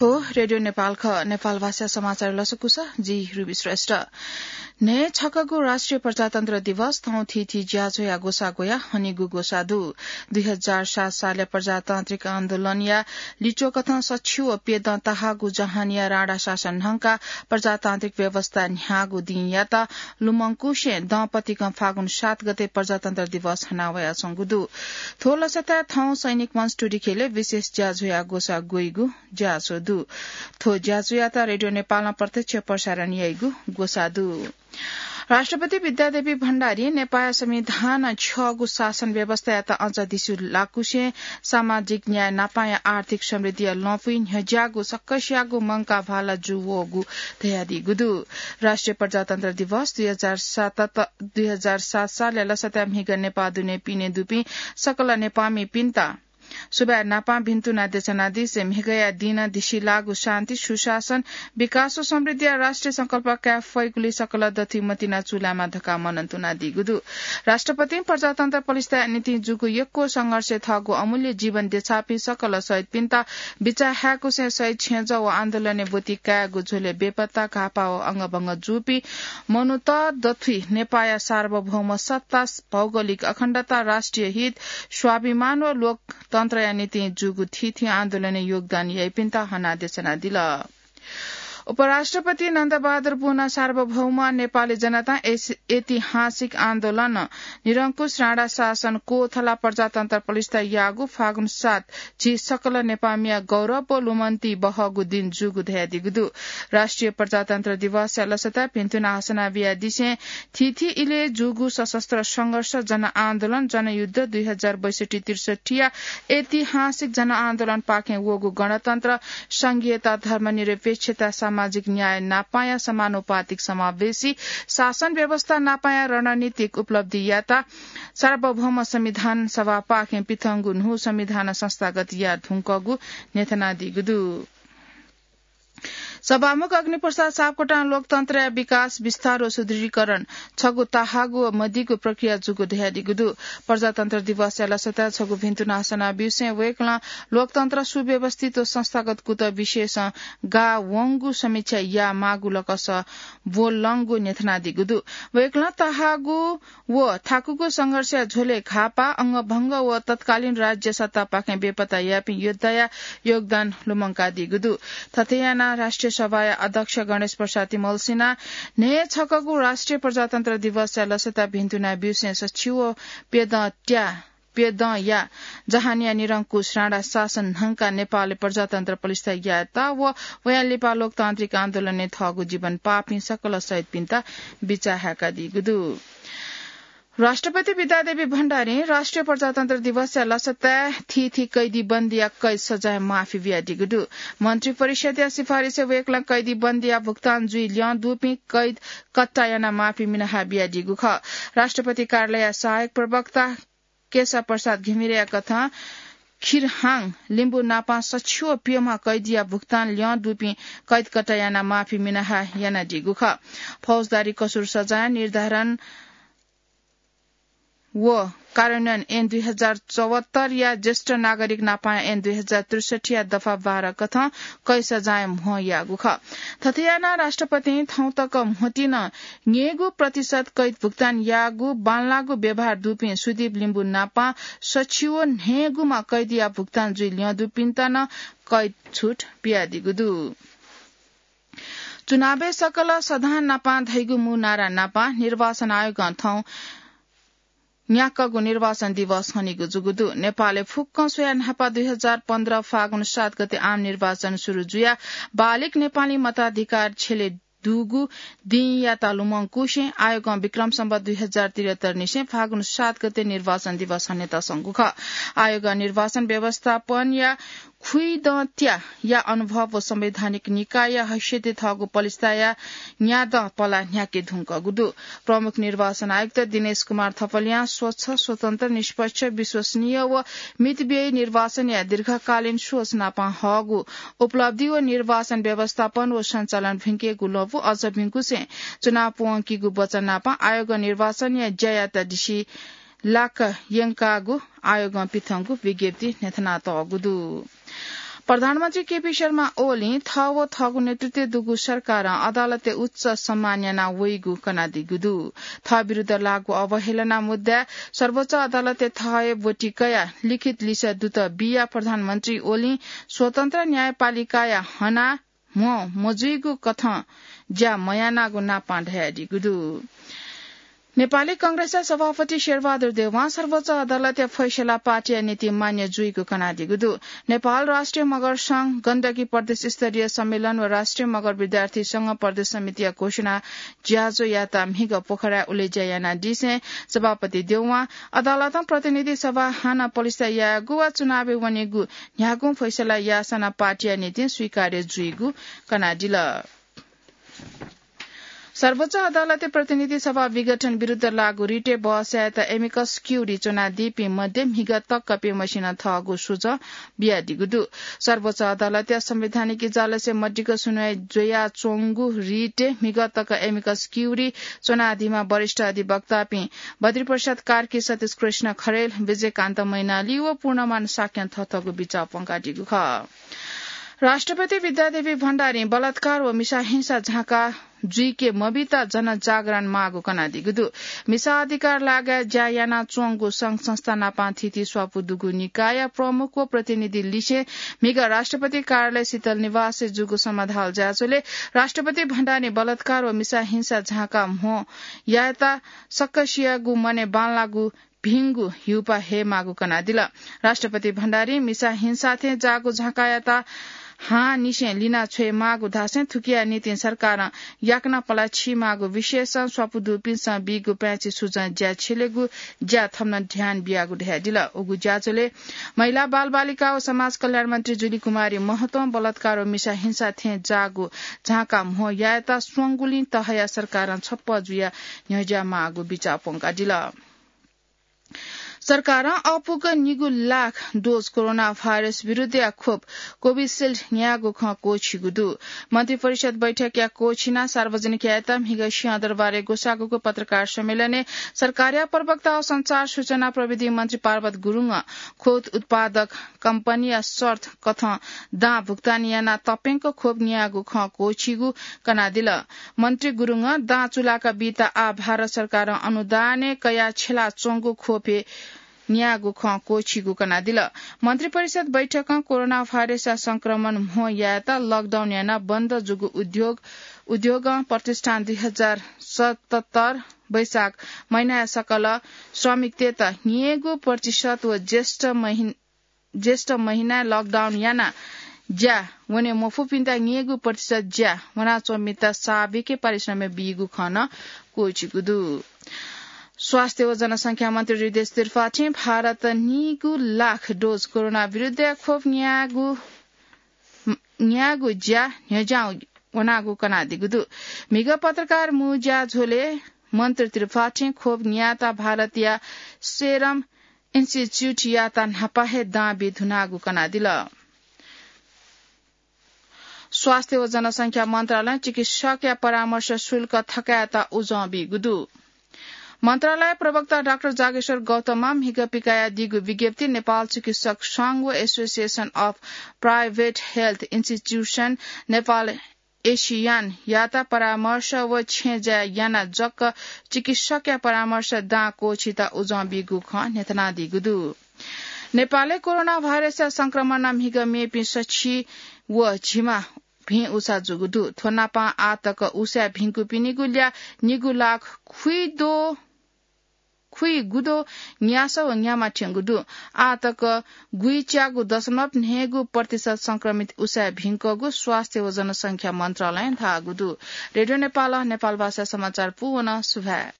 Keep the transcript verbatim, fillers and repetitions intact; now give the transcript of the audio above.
हो, रेडियो नेपाल ख, नेपाल भाषा समाचार लसकुस, जि रुबी श्रेष्ठ। न्हय् छकःगु राष्ट्रिय प्रजातन्त्र दिवस थौं थीथी ज्याझ्वःया ग्वसाः ग्वयाः हनीगु ग्वसाः दु। दुई हजार सात सालया प्रजातान्त्रिक आन्दोलनया लिच्वःकथं सछि व प्यदँ ताहाःगु जहानया राणा शासन न्हंकाः प्रजातान्त्रिक व्यवस्था न्ह्याःगु दिंयात लुमंकुसें दंपतिकं फागुन सात गते प्रजातन्त्र दिवस हनावयाच्वंगु दु। थ्व लसताय् थौं सैनिक मञ्च टुडिखेलय् विशेष ज्याझ्वःया ग्वसाः ग्वइगु ज्याझ्वः दु। थ्व ज्याझ्वःयात रेडियो नेपालं प्रत्यक्ष प्रसारण याइगु ग्वसाः दु। राष्ट्रपति विद्यादेवी भण्डारीं नेपाःया संविधानं छ्यःगु शासन व्यवस्थायात अझ धिसि लाकुसें सामाजिक न्याय नापांया आर्थिक समृद्धिया लँपुइ न्ह्यज्याःगु सकसियागु मंकाः भाला जूवःगु धयादीगु दु। राष्ट्रिय प्रजातन्त्र दिवस दुई हजार सात, दुई हजार सात सालया लसताय् म्हिगः नेपाः दुने पिने दुपिं सकल नेपाःमिपिन्त सुभाय् नापां भिन्तुना देछानादिसें म्हिगःया दिनं धिसिलाःगु शान्ति, सुशासन, विकास व समृद्धिया राष्ट्रिय संकल्प काये फइगुलिइ सकल दथुइ मतिना चूलायेमा धकाः मनंतुनादीगु दु। राष्ट्रपतिं प्रजातन्त्र पलिस्ताया निंतिं जूगु यक्व संघर्षय् थःगु अमूल्य जीवन देछाःपिं सकल शहीदपिन्त बिचाः हाय्कुसें शहीद छेँजः व आन्दोलनय् ब्वति कायेगु झ्वलय् बेपत्ता, घाःपाः व अंगभंग जूपिं मनूत दथुइ नेपाःया सार्वभौम सत्ता, भौगोलिक अखण्डता, राष्ट्रिय हित, स्वाभिमान व लोकतन्त्रया निंतिं जूगु थीथी आन्दोलनय् योगदान याइपिन्त हनादेछानादिल। उपराष्ट्रपति नन्दबहादुर पुनं सार्वभौम नेपाली जनतां ऐस-, ऐतिहासिक आन्दोलन, निरंकुश राणा शासन, कोथला प्रजातन्त्र पलिस्ता याःगु फागुन सात झी सकल नेपाःमिया गौरव व लुमन्ति बहःगु दिन जूगु धयादीगु दु। राष्ट्रिय प्रजातन्त्र दिवसया लसताय् भिन्तुना हसना बियादिसें थीथी इलय् जूगु सशस्त्र संघर्ष, जनआन्दोलन, जनयुद्ध, दुई हजार बैसठ्ठी त्रिसठ्ठीया ऐतिहासिक जनआन्दोलनपाखें वःगु गणतन्त्र, संघीयता, धर्मनिरपेक्षता, सामाजिक न्याय नापांया समानुपातिक समावेशी शासन व्यवस्था नापांया रणनीतिक उपलब्धियात सार्वभौम संविधान सभापाखें पिथंगु न्हू संविधान संस्थागत याये धुंकूगु न्ह्यथनादीगु दु। सभामुख अग्निप्रसाद सापकोटां लोकतन्त्रया विकास, विस्तार व सुदृढीकरण छगू ताहाःगु व मदीगु प्रक्रिया जूगु धयादीगु दु। प्रजातन्त्र दिवसया लसताय् छगू भिन्तुना हसना ब्यूसें वय्कलं लोकतन्त्र सुव्यवस्थित व संस्थागत कुतः विषयसं गाः वंगु समीक्षा यायेमाःगु लकस ब्वलंगु न्ह्यथनादीगु दु। वय्कलं ताहाःगु व थाकुगु संघर्षया झ्वलय् घाःपाः, अंगभंग व तत्कालीन राज्य सत्तापाखें बेपत्ता याःपिं योद्धाया योगदान लुमंकादीगु दु। थथे यानाः राष्ट्रिय सभाया अध्यक्ष गणेश प्रसाद तिमल्सिनां न्हय् छकःगु राष्ट्रिय प्रजातन्त्र दिवसया लसताय् भिन्तुना ब्यूसें सछि व प्यदँ त्या प्यदँया जहानया निरंकुश राणा शासन न्हंकाः नेपालय् प्रजातन्त्र पलिस्था यायेत व वयां लिपा लोकतान्त्रिक आन्दोलनय् थःगु जीवन पाःपिं सकल शहीदपिन्त बिचाः हाय्कादीगु दु। राष्ट्रपति विद्यादेवी भण्डारीं राष्ट्रिय प्रजातन्त्र दिवसया लसताय् थीथी कैदी बन्दीया कैद सजाँय माफी बियादीगु दु। मन्त्रिपरिषदया सिफारिसय् वय्कलं कैदी बन्दीया भुक्तान जुइ ल्यं दुपिं कैद कट्टा यानाः माफी मिनाः बियादीगु खः। राष्ट्रपति कार्यालयया सहायक प्रवक्ता केशव प्रसाद घिमिरेया कथं खिरहाङ लिम्बू नापां सछि व प्यम्ह कैदीया भुक्तान ल्यं दुपिं कैद कट्टा यानाः माफी मिनाः यानादीगु खः। फौजदारी कसुर सजाँय निर्धारण व कार्यान्वयन ऐन दुई हजार चौहत्तरया ज्येष्ठ नागरिक नापां ऐन दुई हजार त्रिसठ्ठीया दफा बाह्र कथं कैद सजाँय म्हो याःगु खः। थथे यानाः राष्ट्रपतिं थौं तक म्होतिं नं न्यय्गू प्रतिशत कैद भुक्तान याःगु बांलाःगु व्यवहार दुपिं सुदीप लिम्बू नापां सछि व न्हय्गूम्ह कैदीया भुक्तान जुइ ल्यं दुपिन्त नं कैद छुट बियादीगु दु। चुनावय् सकल सधां नापां धइगु मू नारा नापां निर्वाचन आयोगं थौं न्याक्वःगु निर्वाचन दिवस हनीगु जूगु दु। नेपालय् फुक्कं स्वयाः न्हापा दुई हजार पन्ध्र फागुन सात गते आम निर्वाचन सुरु जुयाः बालिग नेपाली मताधिकार छ्यले दुगु दिंयात लुमंकुसें आयोगं विक्रम सम्वत दुई हजार त्रिहत्तर निसें फागुन सात गते निर्वाचन दिवस हनेत संगु खः। आयोगं निर्वाचन व्यवस्थापनया खुइदँ त्याःया अनुभव व संवैधानिक निकायया हैसियतय् थःगु पलिस्ताया न्यादँ पला न्ह्याके धुंकूगु दु। प्रमुख निर्वाचन आयुक्त दिनेश कुमार थपलियां स्वच्छ, स्वतन्त्र, निष्पक्ष, विश्वसनीय व मितव्ययी निर्वाचनया दीर्घकालीन सोच नापां हःगु उपलब्धि व निर्वाचन व्यवस्थापन व सञ्चालन भिंकेगु लँपु अझ भिंकुसें चुनाव प्वंकीगु वचन नापां आयोगं निर्वाचनया ज्यायात दिसि लाक यंकागु आयोगं पिथंगु विज्ञप्ति न्ह्यथनातःगु दु। प्रधानमन्त्री केपी शर्मा ओलीं थः व थःगु नेतृत्वय् दुगु सरकारं अदालतय् उच्च सम्मान याना वइगु कनादीगु दु। थः विरुद्ध लागू अवहेलना मुद्दाय् सर्वोच्च अदालतय् थः हे ब्वति कयाः लिखित लिसः दुत बिया प्रधानमन्त्री ओलीं स्वतन्त्र न्यायपालिकाया हना म्हो मजुइगु कथं ज्या मयानागु नापां धयादीगु दु। नेपाली कांग्रेसया सभापति शेरबहादुर देउवां सर्वोच्च अदालतया फैसला पार्टीया निंतिं मान्य जुइगु कनादीगु दु। नेपाल राष्ट्रिय मगर संघ, गण्डकी प्रदेश स्तरीय सम्मेलन व राष्ट्रिय मगर विद्यार्थी संघ प्रदेश समितिया घोषणा ज्याझ्वःयात म्हिगः पोखराय् उलेज्या यानादिसें सभापति देउवां अदालतं प्रतिनिधि सभा हानं पलिस्था यायेगु वा चुनावय् वनेगु न्ह्यागुं फैसला याःसां नं पार्टीया निंतिं स्वीकार्य जुइगु कनादिल। सर्वोच्च अदालतय् प्रतिनिधि सभा विघटन विरुद्ध लागू रिटय् बहस यायेत amicus curiae च्वनादीपिं मध्ये म्हिगः तकपिं मसिनं थःगु सुझाव बियादीगु दु। सर्वोच्च अदालतया संवैधानिक इजलासय् मदिक्क सुनवाई जुयाच्वंगु रिटय् म्हिगः तक amicus curiae च्वनादीम्ह वरिष्ठ अधिवक्तापिं बद्रीप्रसाद कार्की, सतीश कृष्ण खरेल, विजयकान्त मैनाली व पूर्णमान शाक्यं थःथःगु बिचाः प्वंकादीगु खः। राष्ट्रपति विद्यादेवी भण्डारीं बलात्कार व मिसा हिंसा झांका जुइके मबीत जनजागरण माःगु कनादीगु दु। मिसा अधिकार लागाय् ज्या यानाच्वंगु संघ संस्था नापं थीथी स्वापू दुगु निकायया प्रमुख व प्रतिनिधि लिसें म्हिगः राष्ट्रपति कार्यालय शीतल निवासय् जूगु समाधाल ज्याझ्वलय् राष्ट्रपति भण्डारीं बलात्कार व मिसा हिंसा झांका म्हो यायेत सकसियागु मनय् बांलाःगु भिंगु हिउपाः हयेमाःगु कनादिल। राष्ट्रपति भण्डारीं मिसा हिंसा थें जाःगु झांकायात हांनिसें लिना छ्वयेमाःगु धासें थुकिया निंतिं सरकारं याकनं पलाः छीमाःगु विषयसं स्वापू दुपिन्सं बीगु पाय्‌छि सुझावं ज्या छ्यलेगु ज्या थन नं ध्यान बियागु धयादिल। उगु ज्याझ्वलय् महिला, बालबालिका व समाज कल्याण मन्त्री जुली कुमारी महतों बलात्कार व मिसा हिंसा थें जाःगु झांका म्हो यायेत स्वंगुलिं तहया सरकारं छप्पँ जुयाः न्ह्यज्या माःगु बिचाः प्वंकादिल। सरकारं अःपुक निगू लाख डोज कोरोना भाइरस विरुद्धया खोप कोभिसिल्ड न्यायेगु खँ क्वःछीगु दु। मन्त्रिपरिषद बैठकया क्वःछिनाः सार्वजनिक यायेत म्हिगः सिंहदरबारय् ग्वसाःगु पत्रकार सम्मेलनय् सरकारया प्रवक्ता व सञ्चार सूचना प्रविधि मन्त्री पार्वत गुरुङं खोप उत्पादक कम्पनीया शर्त कथं दां भुक्तानी यानाः तप्यंक खोप न्यायेगु खँ क्वःछीगु कनादिल। मन्त्री गुरुङं दां चुलाका बीत आः भारत सरकारं अनुदानय् कयाः छ्यलाच्वंगु खोप हे न्यायेगु खँ क्वःछीगु कनादिल। मन्त्रिपरिषद बैठकं कोरोना भाइरसया संक्रमण म्हो यायेत लकडाउन यानाः बन्द जूगु उद्योग, उद्योगं प्रतिष्ठान दुई हजार सतहत्तर वैशाख महिनाया सकल श्रमिकतय्‌त न्ययेगु प्रतिशत व ज्येष्ठ महिन-, ज्येष्ठ महिनाय् लकडाउन यानाः ज्या वने मफुपिन्त न्ययेगु प्रतिशत ज्या वनाच्वंपिन्त साविके पारिश्रमिक बीगु खँ नं क्वःछीगु दु। स्वास्थ्य व जनसंख्या मन्त्री हृदयेश त्रिपाठीं भारतं निगू लाख डोज कोरोना विरुद्धया खोप न्यायेगु, न्यायेगु ज्या न्ह्यज्यां वनागु कनादीगु दु। म्हिगः पत्रकार मू ज्याझ्वलय् मन्त्री त्रिपाठीं खोप न्यायेत भारतया सेरम इन्स्टिच्युटयात न्हापा हे दां बी धुनागु कनादिल। स्वास्थ्य व जनसंख्या मन्त्रालयं चिकित्सकया परामर्श शुल्क थकायेत उजं बीगु दु। मन्त्रालय प्रवक्ता डाक्टर जागेश्वर गौतमं म्हिगः पिकायादीगु विज्ञप्तिइ नेपाल चिकित्सक संघ व Association of Private Health Institution Nepal, एसियानयात परामर्श व छेँज्या यानाः जक चिकित्सकया परामर्श दां क्वःछीत उजं बीगु खँ न्ह्यथनादीगु दु। नेपालय् कोरोना भाइरसया संक्रमणं म्हिगः मेपिं सछि व झिम्ह भिं उसा जूगु दु। थ्व नापं आः तक उसाय् भिंकूपिनिगु ल्याः निगू लाख खुइदो, खुइगुदो न्यासः व न्यामा थ्यंगु दु। आः तक गुइच्यागू दशमलव न्हय्गू प्रतिशत संक्रमित उसाय् भिंकूगु स्वास्थ्य व जनसंख्या मन्त्रालयं धाःगु दु। रेडियो नेपालं नेपालभाषा समाचार पूवन। सुभाय्।